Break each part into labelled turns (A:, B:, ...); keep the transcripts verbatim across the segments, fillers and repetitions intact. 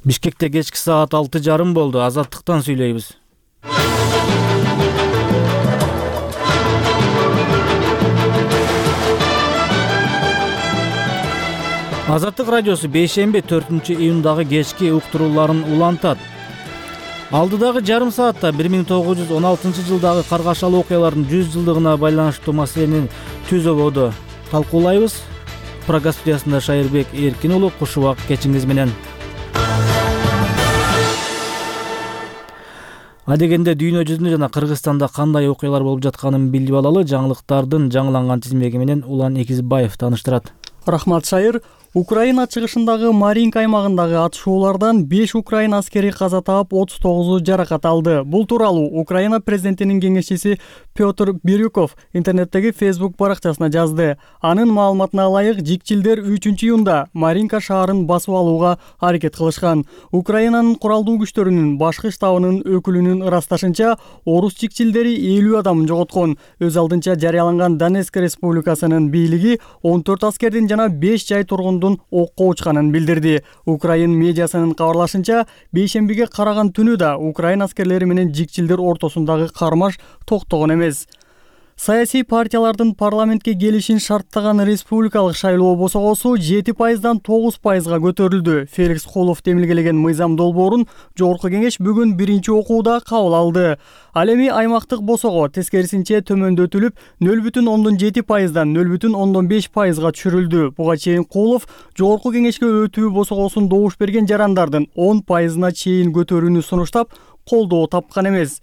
A: Бишкекте кечки саат алты жарым болду. Азаттыктан сүйлөйбүз. Азаттык радиосу бейшемби төртүнчү июндагы кечки уктурууларын улантат. Алдыдагы жарым саатта бир миң тогуз жүз он алтынчы жылдагы каргашалуу окуялардын жүз жылдыгына байланыштуу маселени түз ободо талкуулайбыз. Прага студиясында Шайырбек Эркин уулу, куш убак кечиңиз менен. Адегенде дүйнө жүзүндө жана Кыргызстанда кандай окуялар болуп жатканын билип алалы. Жаңылыктардын жаңыланган тизмеги менен Улан Экизбаев тааныштырат.
B: Рахмат, Шайыр. Украина чыгышындагы Маринка аймагындагы атышуулардан беш украин аскери каза таап, отуз тогузу жаракат алды. Бул тууралуу Украина президентинин кеңешчиси Петр Бирюков интернеттеги Facebook баракчасына жазды. Анын маалыматына ылайык, жикчилдер үчүнчү июнда Маринка шаарын басып алууга аракет кылышкан. Украинанын куралдуу күчтөрүнүн башкы штабынын өкүлүнүн ырасташынча, орус жикчилдери элүү адамын жоготкон. Өз алдынча жарыяланган Донецк республикасынын бийлиги он төрт аскердин жана беш жай тургундун окко учканын билдирди. Украин медиасынын кабарлашынча, бейшембиге караган түнү да Украин аскерлери менен жикчилдер ортосундагы кармаш токтогон эмес. Саясий партиялардын парламентке келишин шарттаган республикалык шайлоо босогосу жети пайыздан тогуз пайызга көтөрүлдү. Феликс Холов темилгелеген мыйзам долбоорун жогорку кеңеш бүгүн биринчи окууда кабыл алды. Ал эми аймактык босого тескерисинче төмөндөтүлүп, нөл бүтүн ондон жети пайыздан нөл бүтүн ондон беш пайызга түшүрүлдү. Буга чейин Холов жогорку кеңешке өтүү босогосун добуш берген жарандардын он пайызына чейин көтөрүүнү сунуштап, колдоо тапкан эмес.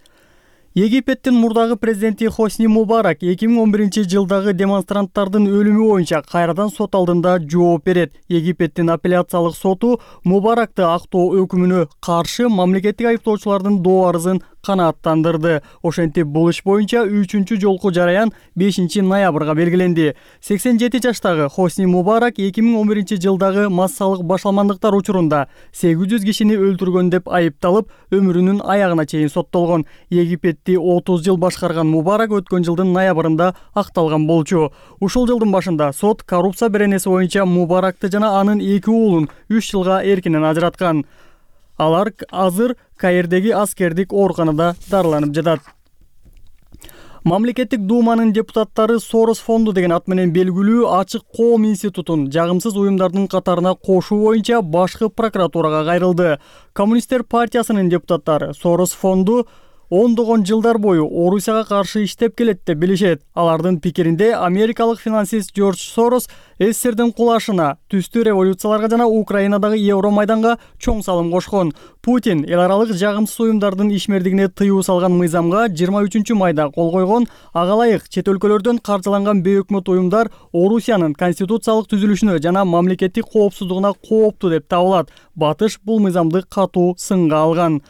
B: Египеттин мурдагы президенти Хосни Мубарак эки миң он биринчи жылдагы демонстранттардын өлүмү боюнча кайрадан сот алдында жооп берет. Египеттин апелляциялык соту Мубаракты актоо өкүмүнө каршы мамлекеттик айыптоочулардын доо арызын канааттандырды. Ошентип, бул иш боюнча үчүнчү жолку жараян бешинчи ноябрга белгиленди. сексен жети жаштагы Хосни Мубарак эки миң он биринчи жылдагы массалык башаламандыктар учурунда сегиз жүз кишини өлтүргөн деп айыпталып, өмүрүнүн аягына чейин соттолгон. Египетти отуз жыл башкарган Мубарак өткөн жылдын ноябрында акталган болчу. Ушул жылдын башында сот коррупция беренеси боюнча Мубаракты жана анын эки уулун үч жылга эркинен ажыраткан. Алар азыр Каирдеги аскердик ооруканада дарыланып жатат. Мамлекеттик думанын депутаттары Сорос фонду деген ат менен белгилүү Ачык коом институтун жагымсыз уюмдардын катарына кошуу боюнча башкы прокуратурага кайрылды. Коммунисттер партиясынын депутаттары Сорос фонду ондогон жылдар бою Орусияга каршы иштеп келет деп билишет. Алардын пикиринде америкалык финансист Джордж Сорос СССРдин кулашына, түстүү революцияларга жана Украинадагы Евромайданга чоң салым кошкон. Путин эл аралык жагымсыз уюмдардын ишмердигине тыюу салган мыйзамга жыйырма үчүнчү майда кол койгон. Ага ылайык чет өлкөлөрдөн каржыланган бейөкмөт уюмдар Орусиянын конституциялык түзүлүшүнө жана мамлекеттик коопсуздугуна кооптуу деп табылат. Батыш бул мыйзамды катуу сынга алган.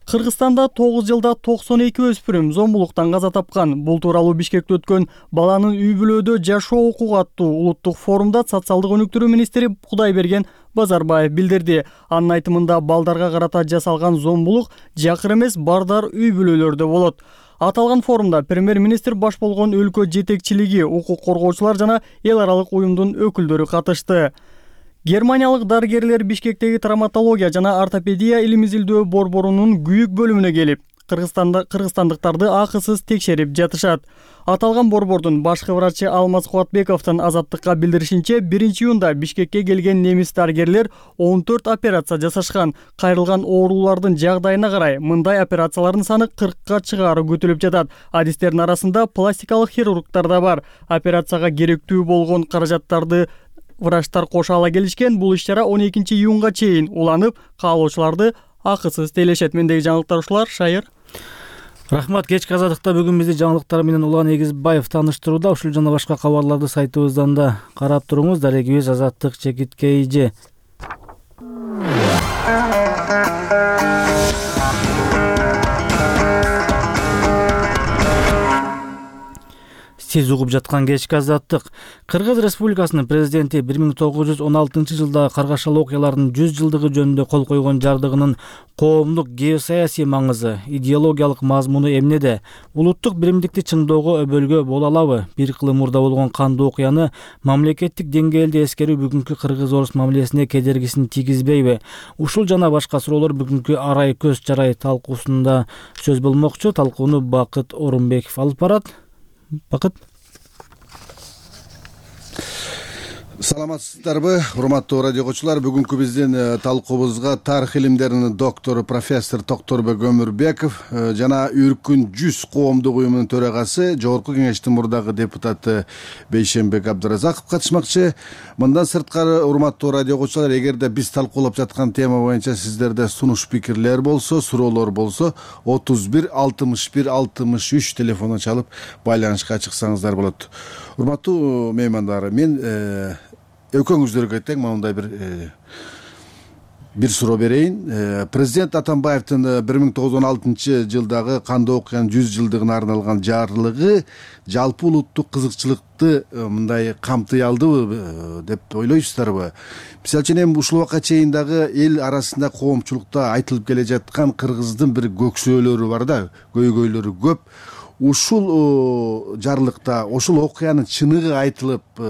B: Кыргызстанда тогуз жылда токсон эки өспүрүм зомбулуктан каза тапкан. Бул тууралуу Бишкекте өткөн баланын үй бүлөдө жашоо укугу аттуу улуттук форумда социалдык өнүктүрүү министри Кудайберген Базарбаев билдирди. Анын айтымында балдарга карата жасалган зомбулук жакыр эмес, бардар үй бүлөлөрдө болот. Аталган форумда премьер-министр баш болгон өлкө жетекчилиги, укук коргоочулар жана эл аралык уюмдун өкүлдөрү катышты. Германиялык дарыгерлер Бишкектеги травматология жана ортопедия илим-изилдөө борборунун күйүк бөлүмүнө келип, Кыргызстанда кыргызстандыктарды акысыз текшерип жатышат. Аталган борбордун башкы врачы Алмаз Кубатбековдун Азаттыкка билдиришинче, биринчи июнда Бишкекке келген немис дарыгерлер он төрт операция жасашкан. Кайрылган оорулардын жагдайына карай мындай операциялардын саны кыркка чыгаары күтүлүп жатат. Адистердин арасында пластикалык хирургтар да бар. Операцияга керектүү болгон каражаттарды врачтар кошо ала келишкен. Бул иш-чара он экинчи июнга чейин уланып, каалоочуларды акысыз тейлешет. Мендеги жаңылыктар ушулар. Шайыр.
A: Рахмат. Кечки азаттыкта бүгүн бизди жаңылыктар менен Улан Эгизбаев тааныштырууда. Ушул жана башка кабарларды сайтыбыздан да карап туруңуз. Дарегибиз Азаттык чекиткей же. Сиз угуп жаткан кечки азаттык. Кыргыз Республикасынын президенти бир миң тогуз жүз он алтынчы жылдагы каргашалуу окуялардын жүз жылдыгы жөнүндө кол койгон жардыгынын коомдук геосаясий маңызы, идеологиялык мазмуну эмнеде? Улуттук биримдикти чыңдоого өбөлгө боло алабы? Бир кылым мурда болгон кандуу окуяны мамлекеттик деңгээлде эскерүү бүгүнкү кыргыз-орус мамилесине кедергисин тийгизбейби? Ушул жана башка суроолор бүгүнкү арай көз жарай талкуусунда сөз болмокчу. Талкууну Бакыт Орунбеков алып барат. Бакыт.
C: Саламатсыздарбы, урматтуу радио окуучулар. Бүгүнкү биздин талкуубузга тарых илимдеринин доктору профессор Токторбек Өмүрбеков жана Үркүн жүз коомдук уюмунун төрагасы, Жогорку Кеңештин мурдагы депутаты Бейшенбек Абдыразаков катышмакчы. Мындан сырткары, урматтуу радио окуучулар, эгерде биз талкуулап жаткан тема боюнча сиздерде сунуш пикирлер болсо, суроолор болсо, отуз бир алтымыш бир алтымыш үч телефонун чалып байланышка чыксаңыздар болот. Урматтуу меймандар, мен экөөңүздөргө тең мындай бир бир суроо берейин. Президент Атамбаевдин бир миң тогуз жүз он алтынчы жылдагы кандуу окуянын жүз жылдыгына арналган жарлыгы жалпы улуттук кызыкчылыкты мындай камтый алдыбы деп ойлойсуздарбы? Мисалы үчүн эми ушул убакка чейин дагы эл арасында коомчулукта айтылып келе жаткан кыргыздын бир көксөөлөрү бар да, көйгөйлөрү көп. Ушул жарлыкта ушул окуянын чыныгы айтылып,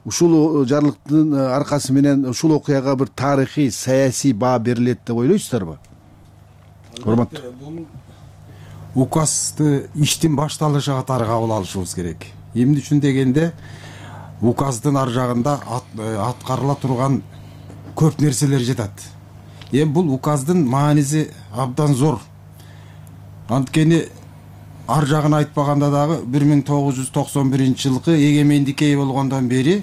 C: ушул жарлыктын аркасы менен ушул окуяга бир тарыхый, саясий баа берилет деп ойлойсуздарбы? Урматтуу.
D: Указды иштин башталышы катары кабыл алышыбыз керек. Эмне үчүн дегенде, указдын ар жагында аткарыла турган көп нерселер жатат. Эми бул указдын мааниси абдан зор. Анткени ар жагын айтпаганда дагы бир миң тогуз жүз токсон биринчи жылкы эгемендикке ээ болгондон бери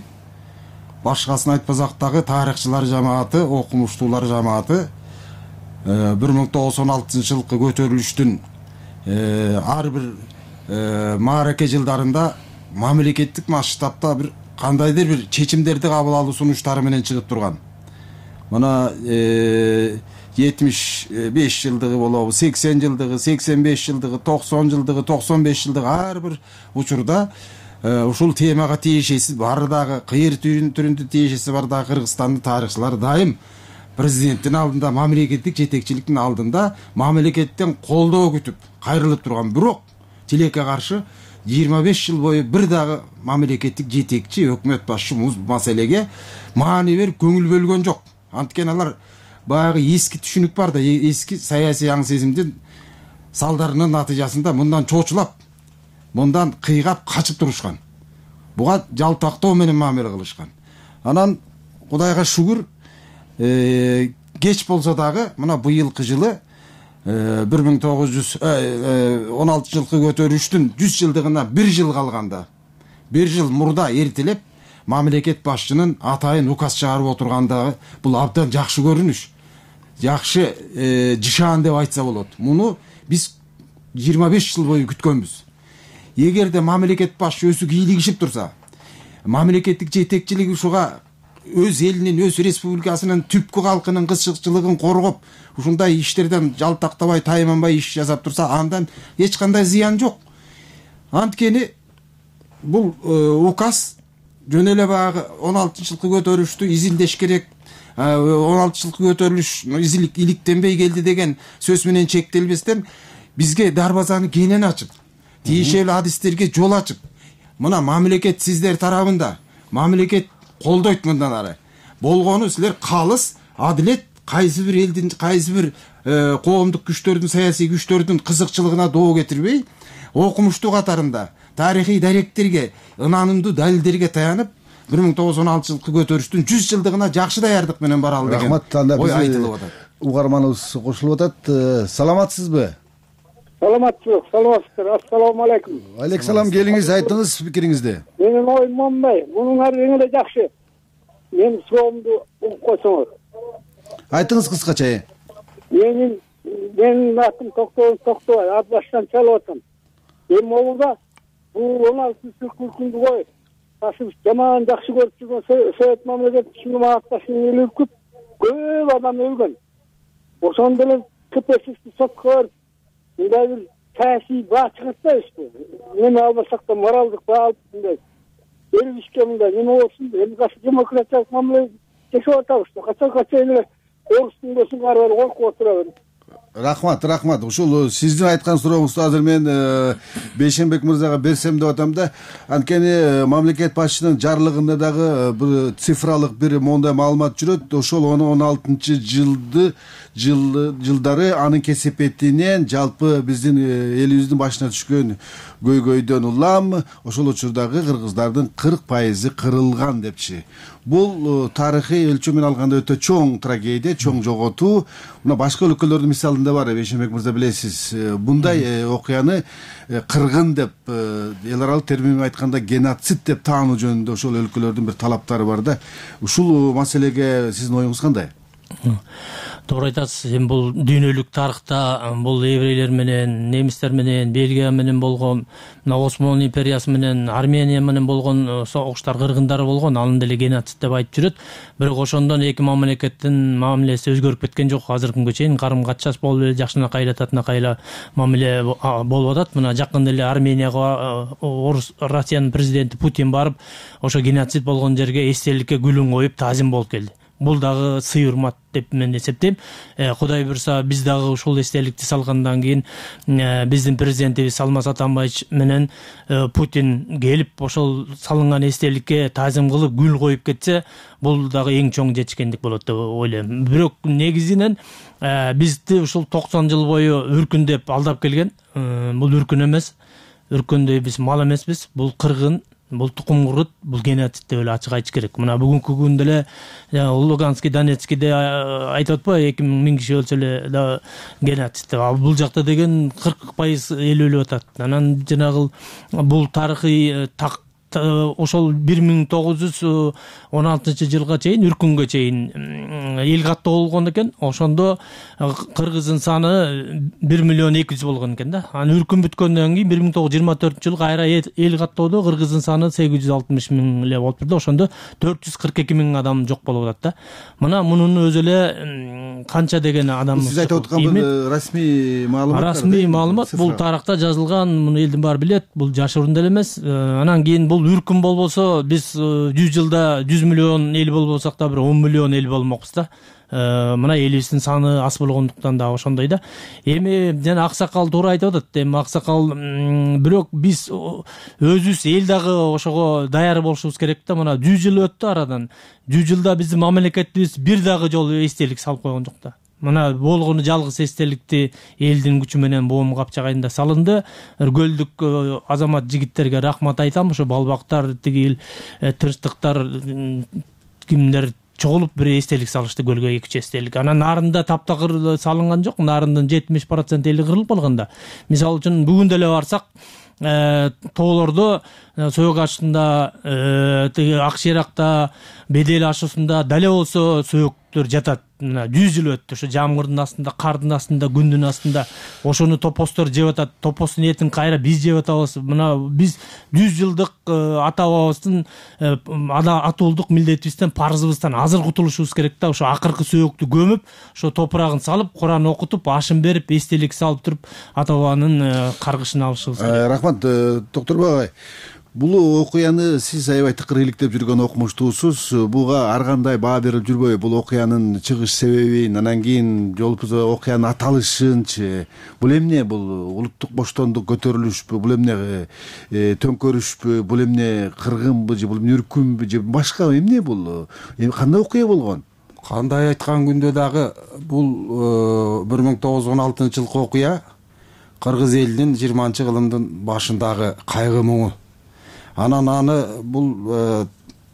D: башкасын айтпасак дагы тарыхчылар жамааты, окумуштуулар жамааты бир миң тогуз жүз он алтынчы жылкы көтөрүлүштүн ар бир маараке жылдарында мамлекеттик масштабта бир кандайдыр бир чечимдерди кабыл алуу сунуштары менен чыгып турган. Мына жетимиш беш жылдыгы болобу, сексен жылдыгы, сексен беш жылдыгы, токсон жылдыгы, токсон беш жылдыгы ар бир учурда ушул темага тиешеси бар дагы, кыйыр түрүндө тиешеси бар дагы Кыргызстандын тарыхчылары дайым президенттин алдында, мамлекеттик жетекчиликтин алдында мамлекеттен колдоо күтүп, кайрылып турган. Бирок тилекке каршы жыйырма беш жыл бою бир дагы мамлекеттик жетекчи, өкмөт башчы бул маселеге маани берип көңүл бөлгөн жок. Анткени алар баягы эски түшүнүк бар да, эски саясий аң сезимдин салдарынын натыйжасында мындан чочулап, мындан кыйгап качып турушкан. Буга жалтактоо менен мамиле кылышкан. Анан Кудайга шүгүр, кеч болсо дагы мына быйылкы жылы бир миң тогуз жүз он алтынчы жылкы көтөрүлүштүн жүз жылдыгына бир жыл калганда, бир жыл мурда эртелеп мамлекет башчынын атайын указ чыгарып отургандыгы бул абдан жакшы көрүнүш. Жакшы жышаан деп айтса болот. Муну биз жыйырма беш жыл бою күткөнбүз. Эгерде мамлекет башчы өзү кийлигишип турса, мамлекеттик жетекчилик ушуга өз элинин, өз республикасынын түпкү калкынын кызыкчылыгын коргоп, ушундай иштерден жалтактабай, тайманбай иш жасап турса, андан эч кандай зыян жок. Анткени бул указ жөн эле баягы он алтынчы жылкы көтөрүлүштү изилдеш керек, он алтынчы жылкы көтөрүлүш изилик иликтенбей келди деген сөз менен чектелбестен бизге дарбазаны кенен ачып, тиешелүү адистерге жол ачып, мына мамлекет сиздер тарабында, мамлекет колдойт мындан ары. Болгону силер калыс, адилет, кайсы бир элдин, кайсы бир коомдук күчтөрдүн, саясий күчтөрдүн кызыкчылыгына доо кетирбей, окумуштуу катарында тарыхый даректерге, ынанымдуу далилдерге таянып, бир миң тогуз жүз он алтынчы жылкы көтөрүштүн жүз жылдыгына жакшы даярдык менен баралы деген ой айтылып атат.
C: Угарманыбыз кошулуп атат. Саламатсызбы?
E: Саламатсызбы, саламатсыздар. Ассаламу алейкум.
C: Алейкум салам, келиңиз, айтыңыз пикириңизди.
E: Менин оюм мындай, мунун ар эң эле жакшы. Мен суроомду угуп койсоңуз.
C: Айтыңыз кыскача.
E: Менин менин атым Токтобай, Токтобай, ат баштан чалып атам. Эми могулда бул он алтынчы жылкы күндү коюп, ташып жаман жакшы көрүп жүргөн Совет мамлекетчилигин атташын эл үркүп, көп адам өлгөн. Ошондо эле КПССти сотко берип, мындай бир саясий баа чыгат да эсте. Эми албасак да моралдык баа алып мындай берилишке мындай неме болсун, эми качан демократиялык мамиле жашап атабыз да. Качан качан эле орустун досун кары бери коркуп отурабыз.
C: Рахмат, рахмат. Ушул сиздин айткан сурооңузду азыр мен Бейшенбек мырзага берсем деп атам да. Анткени мамлекет башчынын жарлыгында дагы бир цифралык бир моундай маалымат жүрөт. Ошол он алтынчы жылды жылдары анын кесепетинен жалпы биздин элибиздин башына түшкөн көйгөйдөн улам ошол учурдагы кыргыздардын кырк пайызы кырылган депчи. Бул тарыхый өлчөм менен алганда өтө чоң трагедия, чоң жоготуу. Мына башка өлкөлөрдүн мисалында бар, Бейшенбек мырза билесиз. Bunday окуяны кыргын деп, эл аралык термин менен айтканда геноцид деп таануу жөнүндө ошол өлкөлөрдүн бир талаптары бар да. Ушул маселеге сиздин оюңуз кандай?
F: Туура айтасыз. Эми бул дүйнөлүк тарыхта бул еврейлер менен, немистер менен, Бельгия менен болгон, мына Осман империясы менен, Армения менен болгон согуштар, кыргындар болгон, анын деле геноцид деп айтып жүрөт. Бирок ошондон эки мамлекеттин мамилеси өзгөрүп кеткен жок. Азыркы күнгө чейин карым катчас болуп эле жакшынакай эле татынакай эле мамиле болуп атат. Мына жакында эле Арменияга орус Россиянын президенти Путин барып, ошо геноцид болгон жерге эстеликке гүлүн коюп таазим болуп келди. Бул дагы сый урмат деп мен эсептейм. Кудай буйрса биз дагы ушул эстеликти салгандан кийин биздин президентибиз Алмаз Атамбаевич менен Путин келип ошол салынган эстеликке таазим кылып гүл коюп кетсе, бул дагы эң чоң жетишкендик болот деп ойлойм. Бирок негизинен бизди ушул токсон жыл бою үркүн деп алдап келген. Бул үркүн эмес. Үркүндөй биз мал эмеспиз. Бул кыргын, бул тукум курут, бул геноцид деп эле ачык айтыш керек. Мына бүгүнкү күндө эле Луганский, Донецкийде айтып атпайбы, эки миң киши өлсө эле да геноцид деп. А бул жакта деген кырк пайыз эл өлүп атат. Анан жанагы бул тарыхый так ошол бир миң тогуз жүз он алтынчы жылга чейин, үркүнгө чейин эл каттоо болгон экен. Ошондо кыргыздын саны бир миллион эки жүз болгон экен да. Анан үркүн бүткөндөн кийин бир миң тогуз жүз жыйырма төртүнчү жылы кайра эл каттоодо кыргыздын саны сегиз жүз алтымыш миң эле болуп турду. Ошондо төрт жүз кырк эки миң адам жок болуп атат да. Мына мунун өзү эле канча деген адам.
C: Сиз айтып аткан бул расмий маалымат.
F: Расмий маалымат. Бул тарыхта жазылган, муну элдин баары билет. Бул жашыруун деле эмес. Анан кийин бул үркүн болбосо, биз жүз жылда жүз миллион эл болбосок да бир он миллион эл болмокпуз да. Мына элибиздин саны аз болгондуктан да ошондой да. Эми жана Аксакал туура айтып атат. Эми Аксакал бирок биз өзүбүз эл дагы ошого даяр болушубуз керек да. Мына жүз жыл өттү арадан. жүз жылда биздин мамлекетибиз бир дагы жолу эстелик салып койгон жок да. Мына болгону жалгыз эстеликти элдин күчү менен Боом капчагайында салынды. Өргөлдүк азамат жигиттерге рахмат айтам. Ошо балбактар, тиги тырыштыктар, кимдер чогулуп бир эстелик салышты, көлгө эки үч эстелик. Анан нарында таптакыр салынган жок. Нарындын жетимиш процент эли кырылып калган да. Мисалы үчүн бүгүн деле барсак, тоолордо Соёк ашында, тиги Ак Шейракта, Бедел ашуусунда дале болсо сөөктөр жатат. Мына жүз жыл өттү. Ошо жамгырдын астында, кардын астында, күндүн астында ошону топостор жеп атат. Топостун этин кайра биз жеп атабыз. Мына биз жүз жылдык ата бабабыздын атуулдук милдетибизден, парызыбыздан азыр кутулушубуз керек да. Ошо акыркы сөөктү көмүп, ошо топурагын салып, Куран окутуп, ашын берип, эстелик салып туруп, ата бабанын каргышын алышыбыз керек.
C: Рахмат, Докторбек агай. Бул окуяны сиз аябай тыкыр иликтеп жүргөн окумуштуусуз. Буга ар кандай баа берип жүрбөйбү? Бул окуянын чыгыш себебин, анан кийин жолупуза окуянын аталышынчы. Бул эмне? Бул улуттук боштондук көтөрүлүшпү? Бул эмне төңкөрүшпү? Бул эмне кыргынбы же бул эмне үркүнбү же башка эмне бул? Кандай окуя болгон?
D: Кандай айткан күндө дагы бул бир миң тогуз жүз он алтынчы жылкы окуя кыргыз элинин жыйырманчы кылымдын башындагы кайгы муңу. Анан аны бул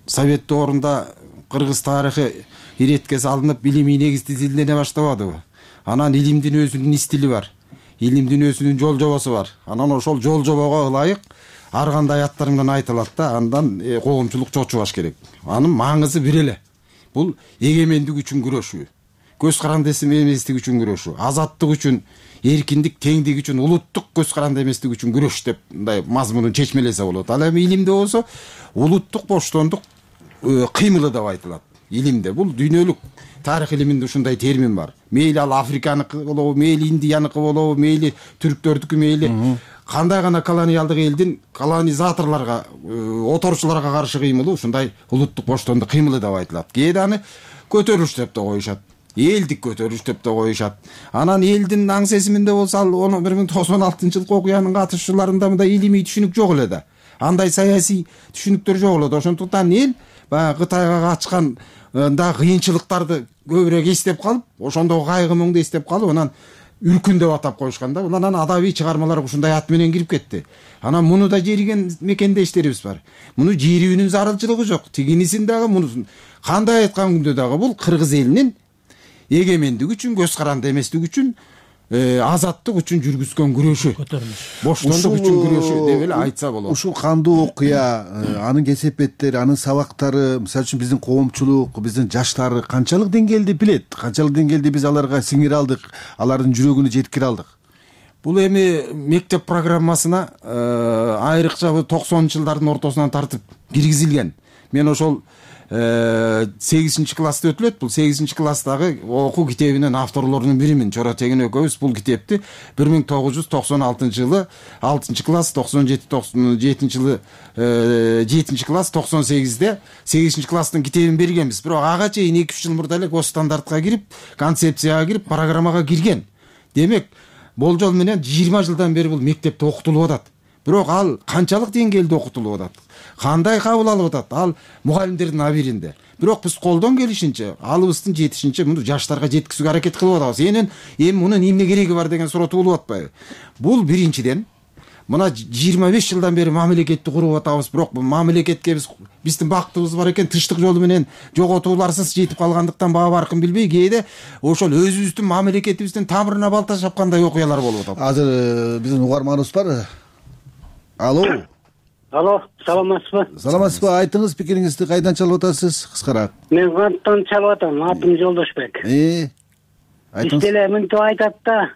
D: совет доорунда кыргыз тарыхы иретке салынып, илимий негизде изилдене баштабадыбы? Анан илимдин өзүнүн стили бар. Илимдин өзүнүн жол жобосу бар. Анан ошол жол жобого ылайык ар кандай аттар менен айтылат да, андан коомчулук чочубаш керек. Анын маңызы бир эле. Бул эгемендик үчүн күрөшүү, көз каранды эместик үчүн күрөшүү, азаттык үчүн, эркиндик, теңдик үчүн, улуттук көз каранды эместик үчүн күрөш деп мындай мазмунун чечмелесе болот. Ал эми илимде болсо улуттук боштондук кыймылы деп айтылат. илимде. Бул дүйнөлүк тарых илиминде ушундай термин бар. Мейли ал Африканыкы болобу, мейли Индияныкы болобу, мейли түрктөрдүкү, мейли кандай гана колониалдык элдин колонизаторлорго, оторчуларга каршы кыймылы ушундай улуттук боштондук кыймылы деп айтылат. Кээде аны көтөрүлүш деп да коюшат. Элдик көтөрүлүш деп да коюшат. Анан элдин аң сезиминде болсо ал бир миң тогуз жүз токсон алтынчы жылкы окуянын катышуучуларында мындай илимий түшүнүк жок эле да. Андай саясий түшүнүктөр жок эле да. Ошондуктан эл баягы Кытайга качкан да кыйынчылыктарды көбүрөөк эстеп калып, ошондогу кайгы муңду эстеп калып, анан үркүн деп атап коюшкан да. Анан адабий чыгармалар ушундай ат менен кирип кетти. Анан муну да жериген мекендештерибиз бар. Муну жерүүнүн зарылчылыгы жок. Тигинисин дагы мунусун кандай айткан күндө дагы бул кыргыз элинин эгемендик үчүн, көз каранды эместик үчүн, азаттык үчүн жүргүзгөн күрөшү,
F: көтөрүлүш,
D: боштондук үчүн күрөшү деп эле айтса болот.
C: Ушул кандуу окуя, анын кесепеттери, анын сабактары, мисалы үчүн биздин коомчулук, биздин жаштар канчалык деңгээлде билет, канчалык деңгээлде биз аларга сиңире алдык, алардын жүрөгүнө жеткире алдык?
D: Бул эми мектеп программасына айрыкча токсонунчу жылдардын ортосунан тартып киргизилген. Мен ошол сегизинчи класста өтүлөт. Бул сегизинчи класстагы окуу китебинин авторлорунун биримин. Чора Тегин экөөбүз бул китепти бир миң тогуз жүз токсон алтынчы жылы алтынчы класс, токсон жети токсон жетинчи жылы жетинчи класс, токсон сегизде сегизинчи класстын китебин бергенбиз. Бирок ага чейин эки үч жыл мурда эле госстандартка кирип, концепцияга кирип, программага кирген. Демек, болжол менен жыйырма жылдан бери бул мектепте окутулуп атат. Бирок ал канчалык деңгээлде окутулуп атат? Кандай кабыл алып атат? Ал мугалимдердин абийиринде. Бирок биз колдон келишинче, алыбыздын жетишинче муну жаштарга жеткизүүгө аракет кылып атабыз. Энен эми мунун эмне кереги бар деген суроо туулуп атпайбы? Бул биринчиден, мына жыйырма беш жылдан бери мамлекетти куруп атабыз, бирок бул мамлекетке биз биздин бактыбыз бар экен, тынчтык жолу менен жоготууларсыз жетип калгандыктан баа баркын билбей, кээде ошол өзүбүздүн мамлекетибиздин тамырына балта чапкандай окуялар болуп атат.
C: Азыр биздин угарманыбыз бар. Алло.
E: Алло, саламатсызбы?
C: Саламатсызбы? Айтыңыз, пикириңизди кайдан чалып атасыз? Кыскараак.
E: Мен Канттан чалып атам, атым Жолдошбек.
C: Э? Айтыңыз.
E: Иштеле мынтип айтат да,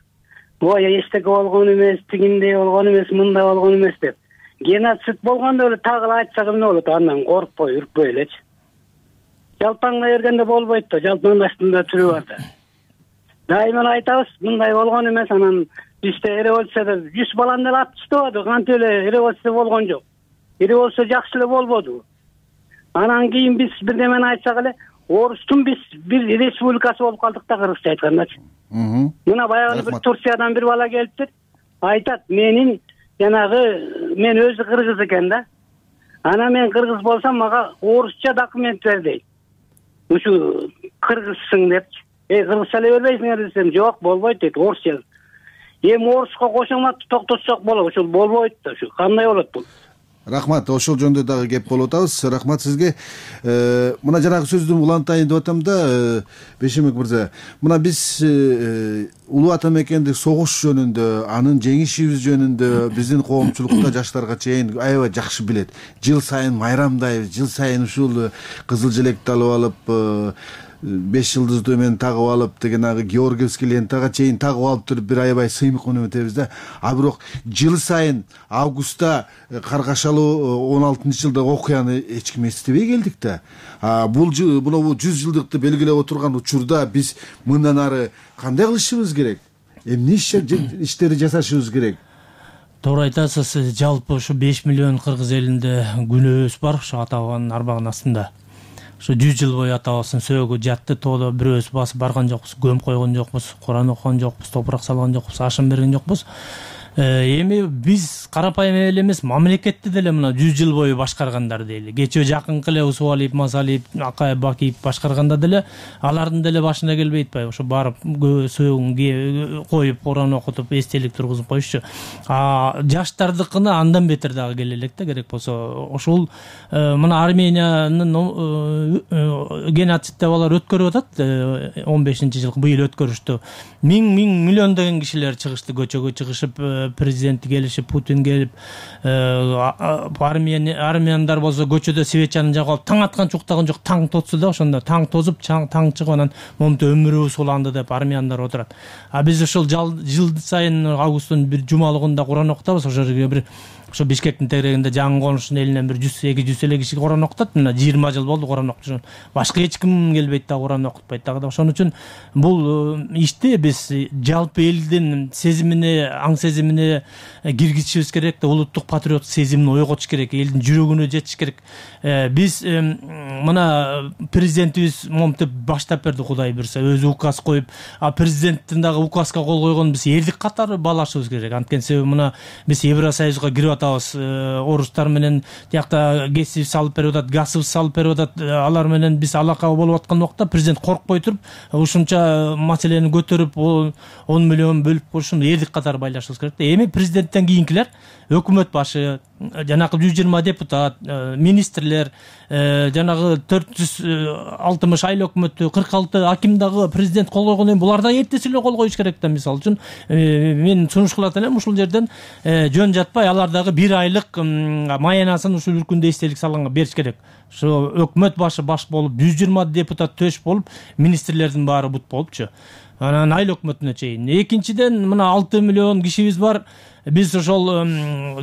E: ой, эчтеке болгон эмес, тигиндей болгон эмес, мындай болгон эмес деп. Геноцид болгондо эле тагы айтсак эмне болот? Андан коркпой, үркпөй элечи. Жалпаңдай бергенде болбойт да, жалпаңдын астында түрү бар да. Дайыма айтабыз, мындай болгон эмес, анан бизде революцияда жүз баланы эле атып таштабады, кантип эле революция болгон жок. Революция жакшы эле болбоду. Анан кийин биз бирдемени айтсак эле, Орустун биз бир республикасы болуп калдык да, кыргызча айткандачы. Мына баягы бир Турциядан бир бала келиптир, айтат, менин жанагы мен өзү кыргыз экен да. Анан мен кыргыз болсам мага орусча документ бер дейт. Ушу кыргызсың депчи. Эй, кыргызча эле бербейсиңер десем, жок, болбойт дейт, орусча. Эми оруско кошомат токтотсок болот, ушул болбойт да, ушу кандай болот бул?
C: Рахмат, ошол жөнүндө дагы кеп болуп атабыз. Рахмат сизге. Мына жанагы сөздү улантайын деп атам да, Бейшенбек мырза. Мына биз улуу ата мекендик согуш жөнүндө, анын жеңишибиз жөнүндө биздин коомчулукта жаштарга чейин аябай жакшы билет. Жыл сайын майрамдайбыз, жыл сайын ушул кызыл желекти алып алып, беш жылдызды мен тагып алып деген агы Георгиевский лентага чейин тагып алып туруп бир аябай сыймык өнүм өтөбүз да. А бирок жыл сайын августта Каргашалуу он алтынчы жылдагы окуяны эч ким эстебей келдик да. Бул мына жүз жылдыкты белгилеп отурган учурда биз мындан ары кандай кылышыбыз керек? Эмне иштерди жасашыбыз керек?
F: Туура айтасыз. Жалпы ушу беш миллион кыргыз элинде күнөөбүз бар, ушу ата бабанын арбагынын астында. Ушу жүз жыл бою ата бабасынын сөөгү жатты, тоодо бирөөбүз басып барган жокпуз, көмүп койгон жокпуз, Куран окуган жокпуз, топурак салган жокпуз, ашын берген жокпуз. Эми биз карапайым эле эмес, мамлекетти деле мына жүз жыл бою башкаргандар дейли. Кечээ жакынкы эле Усубалиев, Масалиев, Акаев, Бакиев башкарганда деле алардын деле башына келбей атпайбы? Ошо барып сөөгүн коюп, Куран окутуп, эстелик тургузуп коюшчу. А жаштардыкына андан бетер дагы келе элек да, керек болсо. Ошол мына Армениянын геноцид деп алар өткөрүп атат, он бешинчи жыл быйыл өткөрүштү. Миң миң миллиондогон кишилер чыгышты, көчөгө чыгышып, президенти келишип, Путин келип, армяндар болсо көчөдө свечаны жагып алып таң аткан чуктаган жок, таң тотсу да ошондо таң тозуп таң чыгып анан момунтип өмүрүбүз уланды деп армяндар отурат. А биз ошол жыл сайын августтун бир жумалыгында Куран окутабыз. Ошол жерге бир ошо Бишкектин тегерегинде жаңы конуштун элинен бир жүз эки жүз эле киши Куран окутат. Мына жыйырма жыл болду Куран окутушун. Башка эч ким келбейт да Куран окутпайт дагы. Ошон үчүн бул ишти биз жалпы элдин сезимине, аң сезимине киргизишибиз керек да, улуттук патриоттук сезимин ойготуш керек, элдин жүрөгүнө жетиш керек. Биз мына президентибиз момунтип баштап берди, Кудай буйрса, өзү указ коюп, а президенттин дагы указга кол койгон биз элдик катары баалашыбыз керек. Анткени себеби мына биз Евросоюзга кирип атабыз, орустар менен тиякта кесип салып берип атат, газыбыз салып берип атат. Алар менен биз алака болуп аткан убакта президент коркпой туруп, ушунча маселени көтөрүп, он миллион бөлүп коюшун элдик катары байлашыбыз керек да. Эми президенттен кийинкилер, өкмөт башы, жанагы жүз жыйырма депутат, министрлер, жанагы төрт жүз алтымыш айыл өкмөтү, кырк алты аким дагы президент кол койгондон кийин булар да эртеси эле кол коюш керек да. Мисалы үчүн мен сунуш кылат элем, ушул жерден жөн жатпай алар дагы бир айлык маянасын ушул үркүндө эстелик салганга бериш керек. Ошо өкмөт башы баш болуп, жүз жыйырма депутат төш болуп, министрлердин баары бут болупчу. Анан айыл өкмөтүнө чейин. Экинчиден, мына алты миллион кишибиз бар. Биз ошол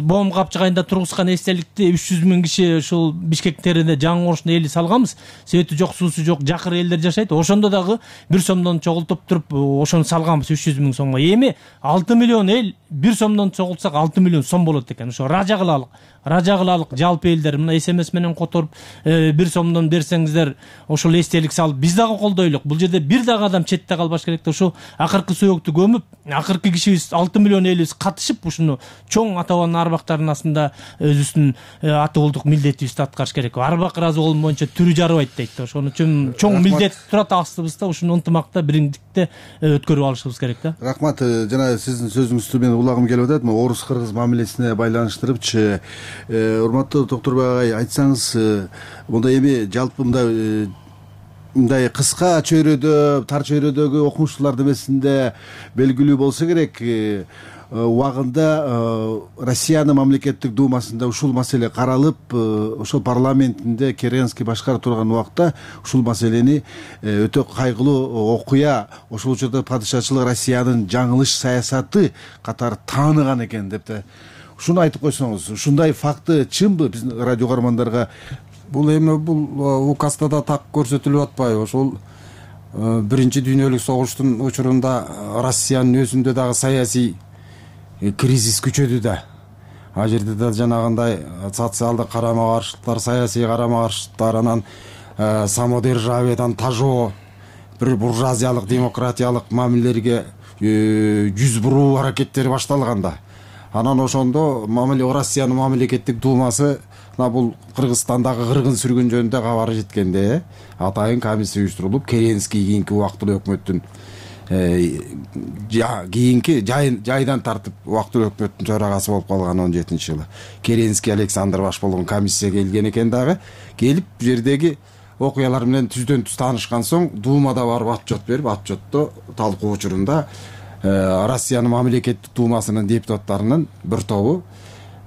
F: Боом капчыгайында тургузган эстеликти үч жүз миң киши ушул Бишкек теринде жаңы конуштун эли салганбыз. Свети жок, суусу жок, жакыр элдер жашайт. Ошондо дагы бир сомдон чогултуп туруп ошону салганбыз үч жүз миң сомго. Эми алты миллион эл бир сомдон чогултсак алты миллион сом болот экен. Ошо ража кылалык. Ража кылалык жалпы элдер мына смс менен которуп бир сомдон берсеңиздер, ошол эстелик салып биз дагы колдойлук. Бул жерде бир дагы адам четте калбаш керек да. Ошо акыркы сөйөктү көмүп, акыркы кишибиз алты миллион элибиз катышып ушуну чоң ата-бабанын арбактарынын астында өзүбүздүн ата уулдук милдетибизди аткарыш керек. Арбак ыраазы болгон боюнча түрү жарыбайт дейт да. Ошон үчүн чоң милдет турат астыбызда. Ушуну ынтымакта, бириңдикте өткөрүп алышыбыз керек да.
C: Рахмат. Жана сиздин сөзүңүздү мен улагым келип атат. Орус кыргыз мамилесине байланыштырыпчы, урматтуу Токторбек агай, айтсаңыз, монда эми жалпы мындай мындай кыска чөйрөдө, тар чөйрөдөгү окумуштуулар демесинде белгилүү болсо керек, убагында Россиянын мамлекеттик думасында ушул маселе каралып, ошол парламентинде Керенский башкарып турган убакта ушул маселени өтө кайгылуу окуя, ошол учурда падышачылык Россиянын жаңылыш саясаты катары тааныган экен деп да. Ушуну айтып койсоңуз, ушундай факты чынбы биздин радио көрөрмандарга?
D: Бул эми бул указда да так көрсөтүлүп атпайбы? Ошол биринчи дүйнөлүк согуштун учурунда Россиянын өзүндө дагы саясий кризис күчөдү да. А жерде да жанагындай социалдык карама-каршылыктар, саясий карама-каршылыктар, анан самодержавиядан тажоо, бир буржуазиялык, демократиялык мамилелерге жүз буруу аракеттери башталган да. Анан ошондо Россиянын мамлекеттик думасы бул Кыргызстандагы кыргын сүргүн жөнүндө кабары жеткенде атайын комиссия уюштурулуп, Керенский кийинки убактылуу өкмөттүн кийинки жайдан тартып убактылуу өкмөттүн төрагасы болуп калган он жетинчи жылы Керенский Александр баш болгон комиссия келген экен дагы. Келип бу жердеги окуялар менен түздөн түз таанышкан соң Думада барып отчет берип, отчетто талкуу учурунда Россиянын мамлекеттик думасынын депутаттарынын бир тобу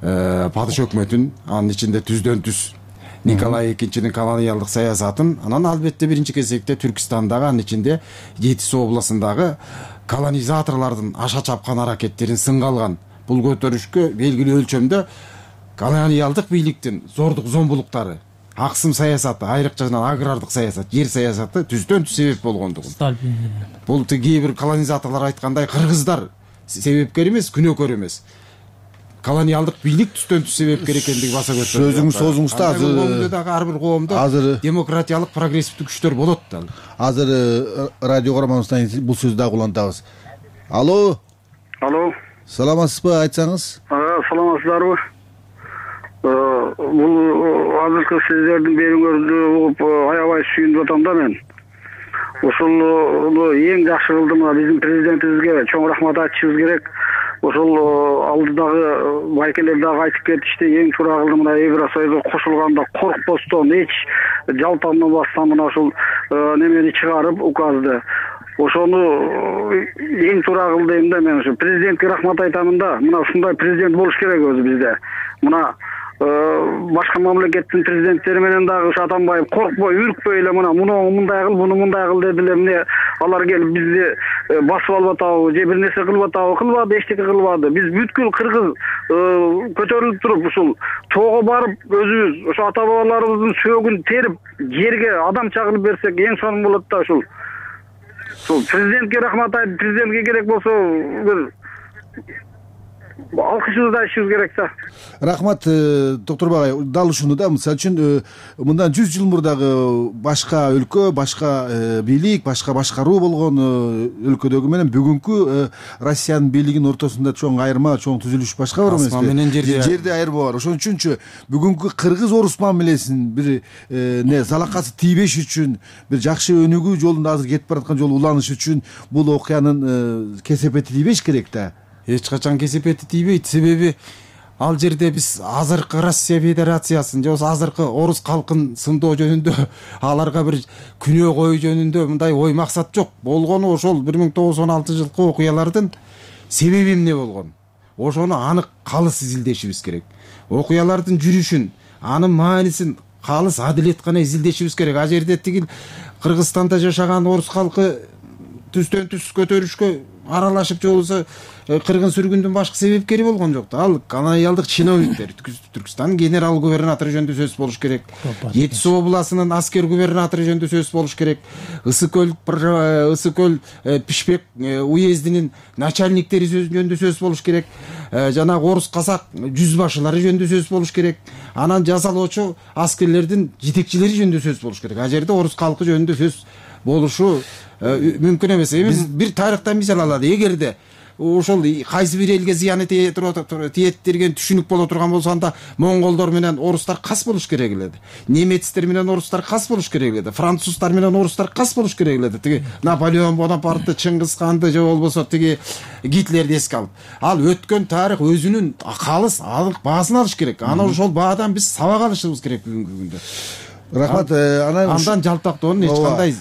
D: падыш өкмөтүн, анын ичинде түздөн түз Николай экинчинин колониялдык саясатын, анан албетте биринчи кезекте Түркистандагы, анын ичинде Жетис областындагы колонизаторлордун аша чапкан аракеттерин сынга алган. Бул көтөрүшкө белгилүү өлчөмдө колониялдык бийликтин зордук зомбулуктары, аксым саясаты, айрыкча агрардык саясат, жер саясаты түздөн түз себеп болгондугун. Бул кээ бир колонизаторлор айткандай кыргыздар себепкер эмес, күнөөкөр эмес. Колониалдык бийлик түздөн түз себепкер экендиги баса көтөрүлөт.
C: Сөзүңүз созуңузда азыр
D: ар бир коомдо демократиялык прогрессивдик күчтөр болот да.
C: Азыр радио көрөрманыбыздан бул сөздү дагы улантабыз. Алло.
E: Алло.
C: Саламатсызбы, айтсаңыз?
E: Саламатсыздарбы? Бул азыркы сиздердин берүүңөрдү угуп аябай сүйүнүп атам да мен. Ошол эң жакшы кылды, мына биздин президентибизге чоң рахмат айтышыбыз керек. Ошол алдыдагы байкелер дагы айтып кетишти, эң туура кылды, мына Евросоюзга кошулганда коркпостон, эч жалпанбастан мына ошол немени чыгарып, указды. ошону эң туура кыл дейм да. Мен ошо президентке рахмат айтамын да. Мына ушундай президент болуш керек өзү бизде. Мына башка мамлекеттин президенттери менен дагы ушу Атамбаев коркпой, үркпөй эле мына муну мындай кыл, буну мындай кыл деди эле. Эмне алар келип бизди басып алып атабы, же бир нерсе кылып атабы? Кылбады, эчтеке кылбады. Биз бүткүл кыргыз көтөрүлүп туруп ушул тоого барып өзүбүз ошо ата бабаларыбыздын сөөгүн терип жерге адам чагылып берсек эң сонун болот да. Ушул ушул президентке рахмат айтып, президентке керек болсо бир алкышыбызды айтышыбыз керек да.
C: Рахмат доктор Багай. Дал ушуну да, мисалы үчүн мындан жүз жыл мурдагы башка өлкө, башка бийлик, башка башкаруу болгон өлкөдөгү менен бүгүнкү Россиянын бийлигинин ортосунда чоң айырма, чоң түзүлүш башка бар эмеспи?
D: Асман менен жерде
C: жерде айырма бар. Ошон үчүнчү бүгүнкү кыргыз орус мамилесин бир не залакасы тийбеш үчүн, бир жакшы өнүгүү жолунда азыр кетип бараткан жолу уланыш үчүн бул окуянын кесепети тийбеш керек да.
D: Эч качан кесепети тийбейт. Себеби ал жерде биз азыркы Россия Федерациясын же болбосо азыркы орус калкын сындоо жөнүндө, аларга бир күнөө коюу жөнүндө мындай ой максат жок. Болгону ошол бир миң тогуз жүз он алтынчы жылкы окуялардын себеби эмне болгон? Ошону анык калыс изилдешибиз керек. Окуялардын жүрүшүн, анын маанисин калыс адилет гана изилдешибиз керек. А жерде тигил Кыргызстанда жашаган орус калкы түстөн түз көтөрүшкө аралашып же болбосо кыргын сүргүндүн башкы себепкери болгон жок да. Ал колониалдык чиновниктер, Түркстандын генерал губернатору жөнүндө сөз болуш керек. Жети Суу областынын аскер губернатору жөнүндө сөз болуш керек. Ысык көл Ысык көл Пишпек уездинин начальниктери жөнүндө сөз болуш керек. Жанагы орус казак жүз башылары жөнүндө сөз болуш керек. Анан жазалоочу аскерлердин жетекчилери жөнүндө сөз болуш керек. А жерде орус калкы жөнүндө сөз болушу мүмкүн эмес. Эми бир тарыхтан мисал алалы. Эгерде ошол кайсы бир элге зыяны тиет деген түшүнүк боло турган болсо, анда монголдор менен орустар кас болуш керек эле. Немецтер менен орустар кас болуш керек эле. Француздар менен орустар кас болуш керек эле. Тиги Наполеон Бонапартты, Чыңгыз ханды же болбосо тиги Гитлерди эске алып. Ал өткөн тарых өзүнүн калыс алык баасын алыш керек. Аны ошол баадан биз сабак алышыбыз керек бүгүнкү күндө.
C: Рахмат.
D: Андан жалтактоонун эч кандай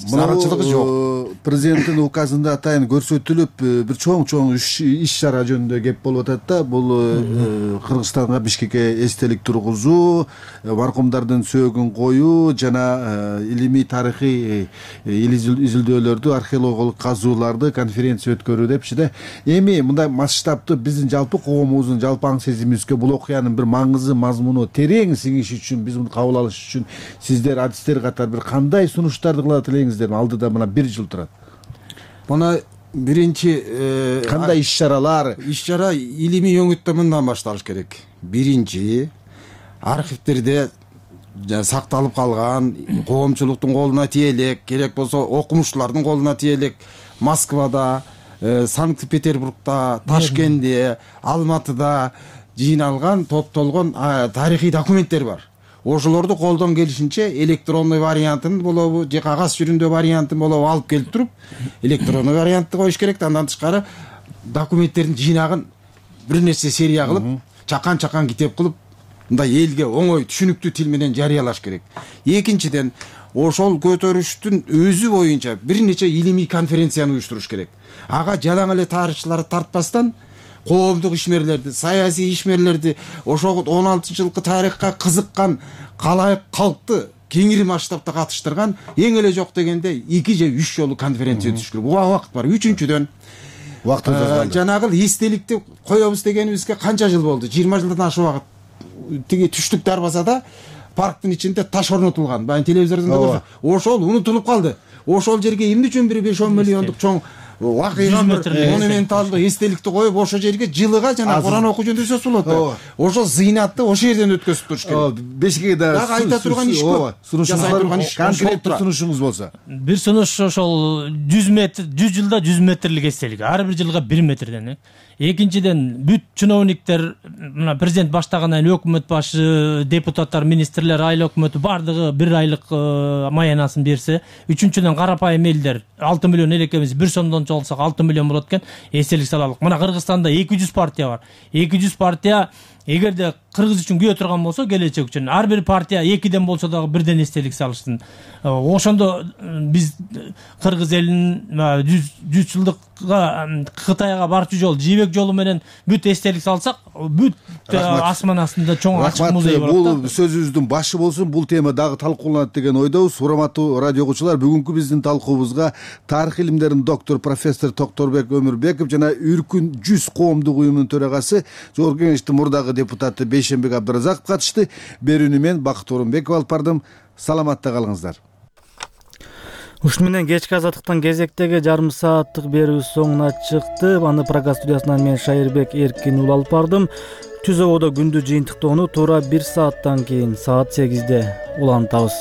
D: зарылчылыгы жок.
C: Президенттин указында атайын көрсөтүлүп бир чоң-чоң иш чара жөнүндө кеп болуп атат да. Бул Кыргызстанга, Бишкекке эстелик тургузуу, маркумдардын сөөгүн коюу жана илимий тарыхый изилдөөлөрдү, археологиялык казууларды, конференция өткөрүү депчи да. Эми мындай масштабты биздин жалпы коомубуздун жалпы аң сезимибизге бул окуянын бир маңызы, мазмуну терең сиңиши үчүн, биз муну кабыл алыш үчүн сиздер адистер катары бир кандай сунуштарды кылат элеңиздер? Алдыда мына бир жыл турат.
D: Мына биринчи
C: кандай иш чаралар?
D: Иш чара илимий өңүттө мындан башталыш керек. Биринчи, архивтерде сакталып калган, коомчулуктун колуна тие элек, керек болсо окумуштуулардын колуна тие элек Москвада, Санкт-Петербургда, Ташкентте, Алматыда жыйналган, топтолгон тарыхый документтер бар. Ошолорду колдон келишинче электронный вариантын болобу же кагаз жүрүндө вариантын болобу алып келип туруп, электронный вариантты коюш керек. Андан тышкары документтердин жыйнагын бир нерсе серия кылып, чакан-чакан китеп кылып, мындай элге оңой түшүнүктүү тил менен жарыялаш керек. Экинчиден, ошол көтөрүштүн өзү боюнча бир нече илимий конференцияны уюштуруш керек. Ага жалаң эле тарыхчыларды тартпастан коомдук ишмерлерди, саясий ишмерлерди, ошол он алтынчы жылкы тарыхка кызыккан калайык калкты кеңири масштабта катыштырган эң эле жок дегенде эки же үч жолу конференция өтүш керек. Буга убакыт бар. Үчүнчүдөн, жанагы эстеликти коебуз дегенибизге канча жыл болду? жыйырма жылдан ашык убакыт. Тиги түштүк дарбазада парктын ичинде таш орнотулган. Баягы телевизордон да көрсө, ошол унутулуп калды. Ошол жерге эмне үчүн бир беш он миллиондук чоң вакыйга монументалдуу эстеликти коюп, ошол жерге жылыга жана Куран окуу жөнүндө сөз болот. Ошол зыйнатты ошол жерден өткөзүп туруш керек.
C: Бешикке да
D: айта турган иш көп.
C: Конкреттүү сунушуңуз болсо.
F: Бир сунуш ошол жүз метр, жүз жылда жүз метрлик эстелик. Ар бир жылга бир метрден. Экинчиден, бүт чиновниктер, мына президент баштагандан кийин өкмөт башы, депутаттар, министрлер, айыл өкмөтү бардыгы бир айлык маянасын берсе. Үчүнчүдөн, карапайым элдер алты миллион элекебиз бир сомдон чалсак алты миллион болот экен, эстелик салалык. Мына Кыргызстанда эки жүз партия бар. эки жүз партия эгерде кыргыз үчүн күйө турган болсо, келечек үчүн ар бир партия экиден болсо дагы бирден эстелик салыштын. Ошондо биз кыргыз элинин жүз жылдыкка Кытайга барчу жол жибек жолу менен бүт эстелик салсак, бүт асман астында чоң ачык музей болот.
C: Бул сөзүбүздүн башы болсун. Бул тема дагы талкууланат деген ойдобуз. Урматтуу радио окуучулар, бүгүнкү биздин талкуубузга тарых илимдеринин доктору профессор Токторбек Өмүрбеков жана Үркүн жүз коомдук уюмунун төрагасы, Жогорку Кеңештин мурдагы депутаты Бейшенбек Абдыразаков катышты. Берүүнү мен Бакыт Орунбеков алып бардым. Саламатта калыңыздар.
A: Ушуну менен кечки азаттыктан кезектеги жарым сааттык берүү соңуна чыкты. Аны программа студиясынан мен Шайырбек Эркин ул алып бардым. Түз ободо күндүз жыйынтыктоону туура бир сааттан кийин саат сегизде улантабыз.